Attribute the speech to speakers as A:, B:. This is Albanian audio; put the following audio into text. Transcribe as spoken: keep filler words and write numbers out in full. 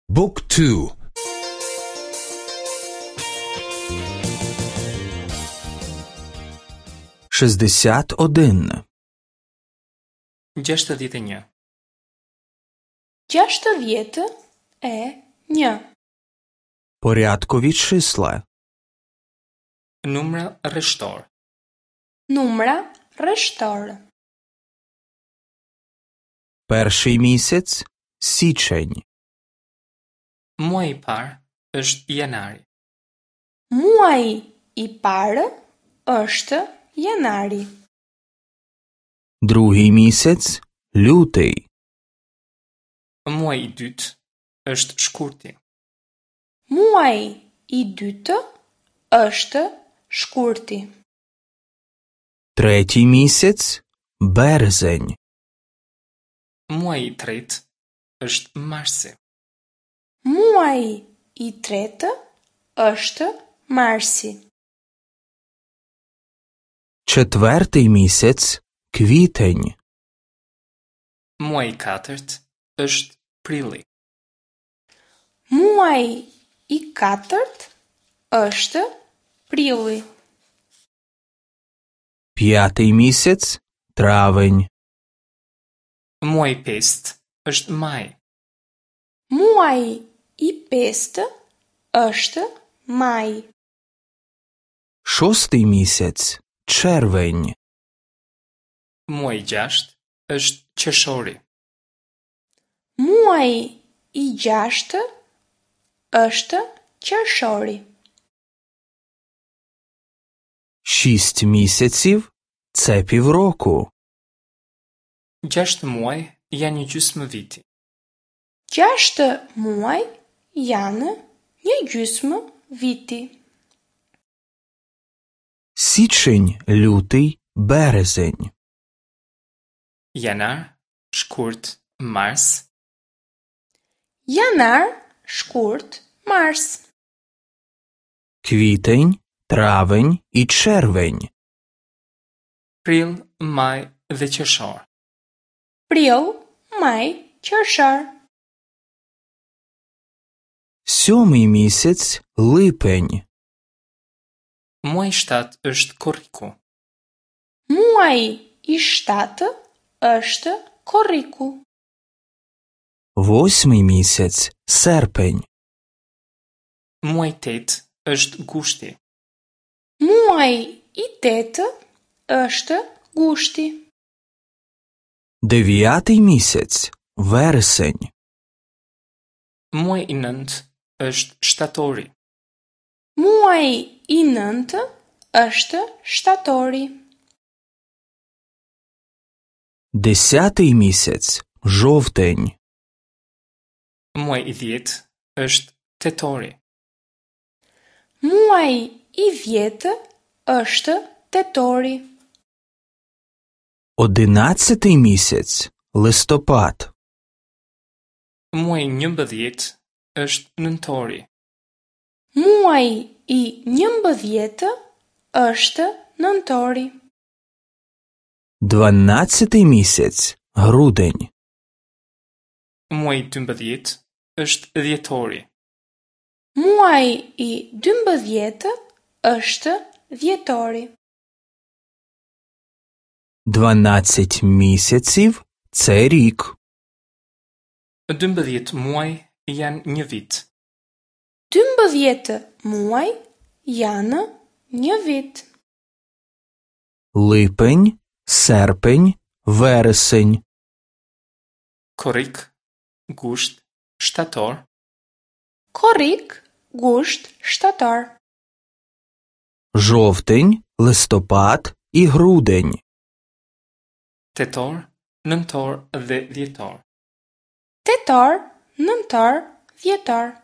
A: Book two.
B: Шістдесят один.
C: Gjashtëdhjetë e një.
D: Gjashtëdhjetë e një.
B: Порядкові числа.
C: Numra rreshtor.
D: Numra rreshtor.
B: Перший місяць січень.
C: Muaji i parë është janari.
D: Muaji i parë është janari.
B: Другий місяць лютий.
C: Muaji i dytë është shkurti.
D: Muaji i dytë është shkurti.
B: Третій місяць березень.
C: Muaji i tretë është marsi.
D: Muaji i tretë është marsi.
B: Четвертий місяць квітень.
C: Muaji i katërt është prilli.
D: Muaji i katërt është prilli.
B: П'ятий місяць травень.
C: Muaji i pestë është maji.
D: Muaji i pestë është maji.
B: Шостий місяць червень.
C: Muaji i gjashtë është qershori.
D: Muaji i gjashtë është qershori.
B: Шість місяців це півроку.
C: Gjashtë muaj janë një gjysmë viti.
D: Gjashtë muaj janë një gjysmë viti.
B: Січень, лютий, березень.
C: Janar, shkurt, mars.
D: Janar, shkurt, mars.
B: Квітень, травень і червень.
C: Prill, maj dhe qershor.
D: Prill, maj, qershor.
B: Сьомий місяць липень.
C: Muaji i shtatë është korriku.
D: Muaji i shtatë është korriku.
B: Восьмий місяць серпень.
C: Muaji i tetë është gushti.
D: Muaji i tetë është gushti.
B: Дев'ятий місяць вересень.
C: Muaji i nëntë është shtatori.
D: Muaji i nëntë është shtatori.
B: Десятий місяць жовтень.
C: Muaji i dhjetë është tetori.
D: Muaji i dhjetë është tetori.
B: Одинадцятий місяць листопад.
C: Muaji i njëmbëdhjetë është nëntori.
D: Muaji i njëmbëdhjetë është nëntori.
B: Дванадцятий місяць грудень.
C: Muaji i dymbëdhjetë është dhjetori.
D: Muaji i dymbëdhjetë është dhjetori.
B: Дванадцять місяців це рік.
C: Dymbëdhjetë muaj janë një vit.
D: Dymbëdhjetë muaj janë një vit.
B: Липень, серпень, вересень.
C: Korrik, gusht, shtator.
D: Korrik, gusht, shtator.
B: Жовтень, листопад і грудень.
C: Tetor, nëntor dhe dhjetor.
D: Tetor, nëntor, dhjetor.